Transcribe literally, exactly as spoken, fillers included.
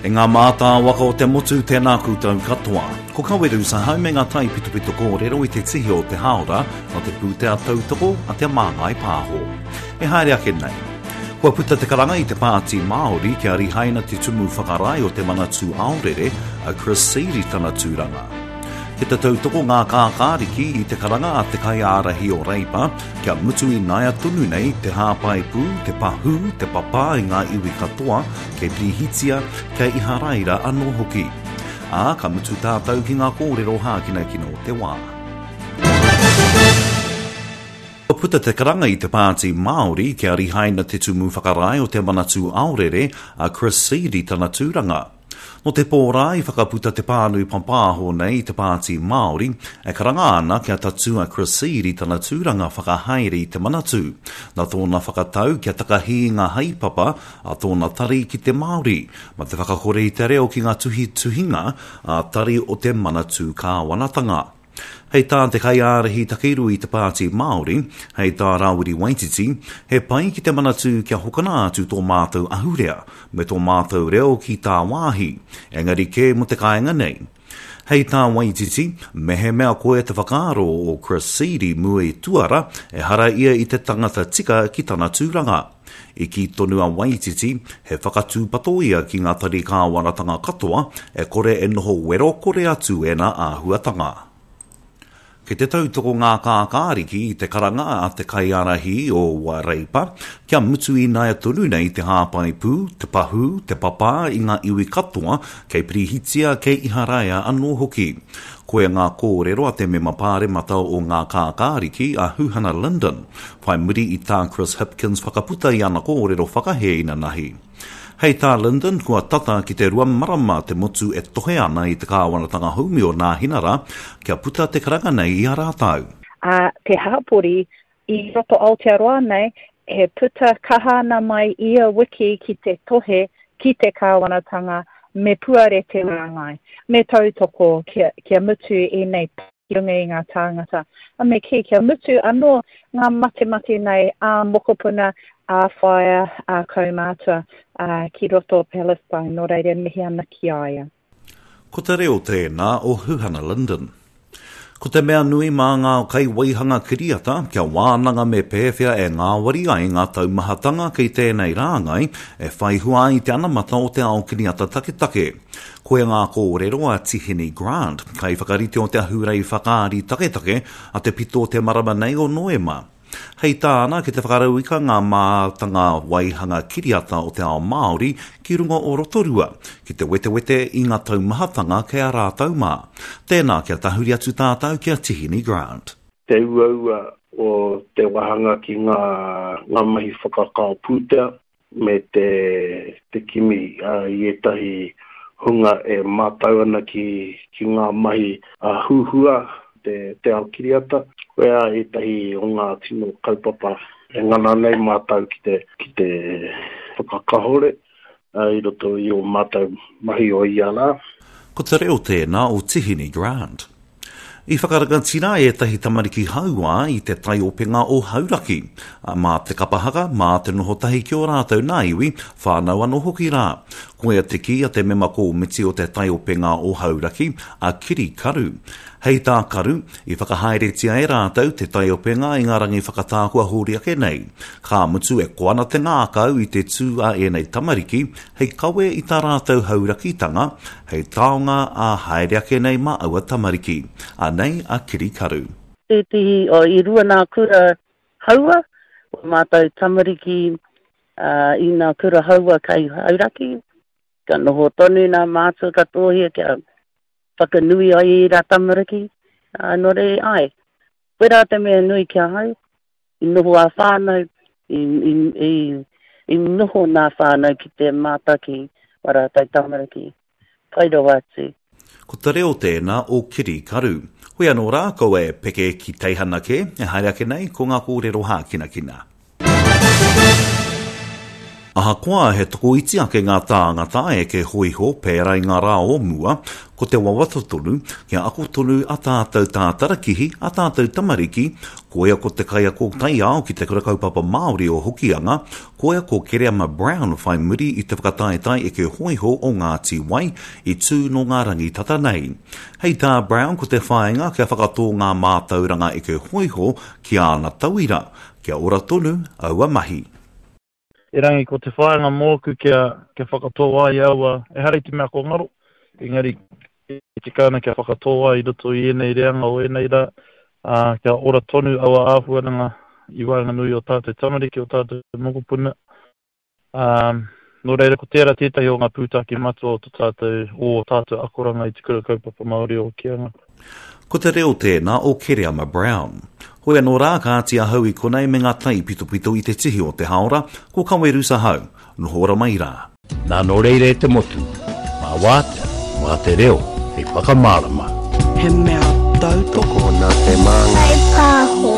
E ngā mātāwaka o te motu, tēnā koutou katoa. Ko Kaweru Sahau me ngā taipitopito kōrero i te tihi o te hāora nā te pūtea tautoko a Te Māngai Pāho. E haere ake nei. Kua puta te karanga i te Pāti Māori kia rihaina te tumu whakarae o te Manatū Aorere, a Chris Seed i tana tūranga. Ki te tautoko ngā kākāriki i te karanga a te kaiārahi o Reipa kia mutu i naia tonu nei te hāpai pū, te pahū, te papā i ngā iwi katoa, kei Pirihitia, kei Iharaira anō hoki. Ā, ka mutu tātou ki ngā kōrero hākinakina o te wā. Kua puta te karanga i te Pāti Māori kia rihaina te tumu whakarae o te Manatū Aorere, a Chris Seed i tana tūranga. Nō te pō rā i whakaputa te pānui papāho nei i te Pāti Māori, e karanga ana kia tatū a Chris Seed i tana tūranga whakahaere i te Manatū, nā tōna whakatau kia takahi i ngā haepapa a tōna tari ki te Māori, ma te whakakore i te reo ki ngā tuhituhinga ā-tari o te Manatū Kāwanatanga. Hei tā te kaiārahi takirua i te Pāti Māori, hei tā Rāwiri Waititi, he pai ki te Manatū kia hokona atu tō mātou ahurea me tō mātou reo ki tāwāhi, engari kē mō te kāinga nei. Hei tā Waititi, mehemea koe te whakaaro o Chris Seed i mua i tuara, ehara ia i te tangata tika ki tana tūranga. I kī tonu a Waititi, he whakatūpato ia ki ngā tari kāwanatanga katoa e kore e noho wero kore atu ēnā āhuatanga. Kei te tautoko ngā kākāriki i te karanga a te kaiārahi o Reipa kia mutu ināia tonu nei te hāpai pū, te pahū, te papā i ngā iwi katoa kei Pirihitia, kei Iharaia anō hoki. Koia ngā kōrero a te mema pāremata o ngā kākāriki a Huhana Lyndon, whai muri i tā Chris Hipkins whakaputa i ana kōrero whakahē inanahi. Hei tā Lyndon, kua tata ki te rua marama te motu e tohe ana i te kāwanatanga haumi o Nāhinara kia puta te karanga nei i a rātou. A te hapori i roto Aotearoa nei, he puta kaha ana mai ia wiki ki te tohe ki te kāwanatanga me puare te rāngai, me tautoko kia, kia mutu ēnei ki runga i ngā tāngata. A me kī, kia mutu anō ngā matemate nei a mokopuna, a whaea, a kaumātua, a, ki roto o Palestine, nō reira mihi ana ki a ia. Ko te reo tēnā o Huhana Lyndon. Ko te mea nui mā ngā kaiwaihanga kiriata kia wānanga me pēwhea e ngāwari ai ngā taumahatanga kei tēnei rāngai e whai hua ai te anamata o te ao kiriata taketake. Koia ngā kōrero a Tihini Grant, kaiwhakarite o te ahurei whakaari taketake a te pito o te marama nei o Noema. Hei tāna ki te whakarauika ngā mātanga waihanga kiriata o te ao Māori ki runga o Rotorua, ki te wetewete i ngā taumahatanga kei a rātou mā. Tēnā kia tahuri atu tātou ki a Tihini Grant. Te uaua o te wahanga ki ngā, ngā mahi whakakao pūtea me te, te kimi uh, i ētahi hunga e mātau ana ki, ki ngā mahi uh, huhua te, te ao kiriata. Koia ētahi o ngā tino kaupapa e ngana nei mātau ki te, ki te whakakahore uh, i roto i o mātau mahi o ia rā. Ko te reo tēnā o Tihini Grant. I whakarangatira ētahi tamariki hauā i te taiopenga o Hauraki. Mā te kapahaka, mā te noho tahi ki o rātou nā iwi, whānau anō hoki rā. Koia te kī a te mema kōmiti o te taiopenga o Hauraki, a Kiri Karu. Hei tā Karu, i whakahaeretia e rātou te taiopenga i ngā rangi whakatā kua hori ake nei. Ka mutu e koa ana te ngākau i te tū a ēnei tamariki, hei kawe i tā rātou haurakitanga, hei taonga a haere ake nei mā aua tamariki. Anei a Kiri Karu. Tētehi o i rua nā kura haua, o mātou tamariki uh, i nā kura haua kei Hauraki, ka noho tonu nā mātua katoa kia whakanui ai i rā tamariki, uh, nō reira ai. Koe rā te mea nui ki ahau, i noho a whānau, i, i, i, i noho nā whānau ki te mātaki o rātou tamariki. Pai rawa atu. Ko te reo tēnā o Kiri Karu. Hoi anō rā, kaua e peke ki teihana kē, e haere ake nei ko ngā kōrero hākinakina. Ahakoa he tokoiti ake ngā tāngata eke hōiho pērā i ngā rā o mua, ko te wawata tonu, kia ako tonu a tātou tātarakihi, a tātou tamariki, koia ko te kaiako taiao ki te Kura Kaupapa Māori o Hokianga, koia ko Kereama Brown whai muri i te whakataetae eke hōiho o Ngāti Wai i tū nō ngā rangi tata nei. Hei tā Brown ko te whāinga kia whakatō ngā mātauranga eke hōiho ki āna tauira, kia ora tonu aua mahi. Erangi ko te whāinga mōku kia, kia whakatō ai aua, ehara i te mea ko ngaro, engari e tika ana kia whakatō ai i roto i ēnei reanga o ēnei rā, ā, kia ora tonu aua āhuaranga i waenganui o tātou tamariki, o tātou mokopuna. Ā, nō reira ko tērā tētahi o ngā pūtake matua o tō tātou, o tātou akoranga i te Kura Kaupapa Māori o Hokianga. Ko te reo tēnā o Kereama Brown. Hoi anō rā, kāti ahau i konei me ngā taipitopito i te tihi o te haora, ko Kawerusa hau, noho ora mai rā. Nā nō reira e te motu, mā wātea, mā te reo, hei whakamārama. He mea tautoko Tokona te māngai. Pāho.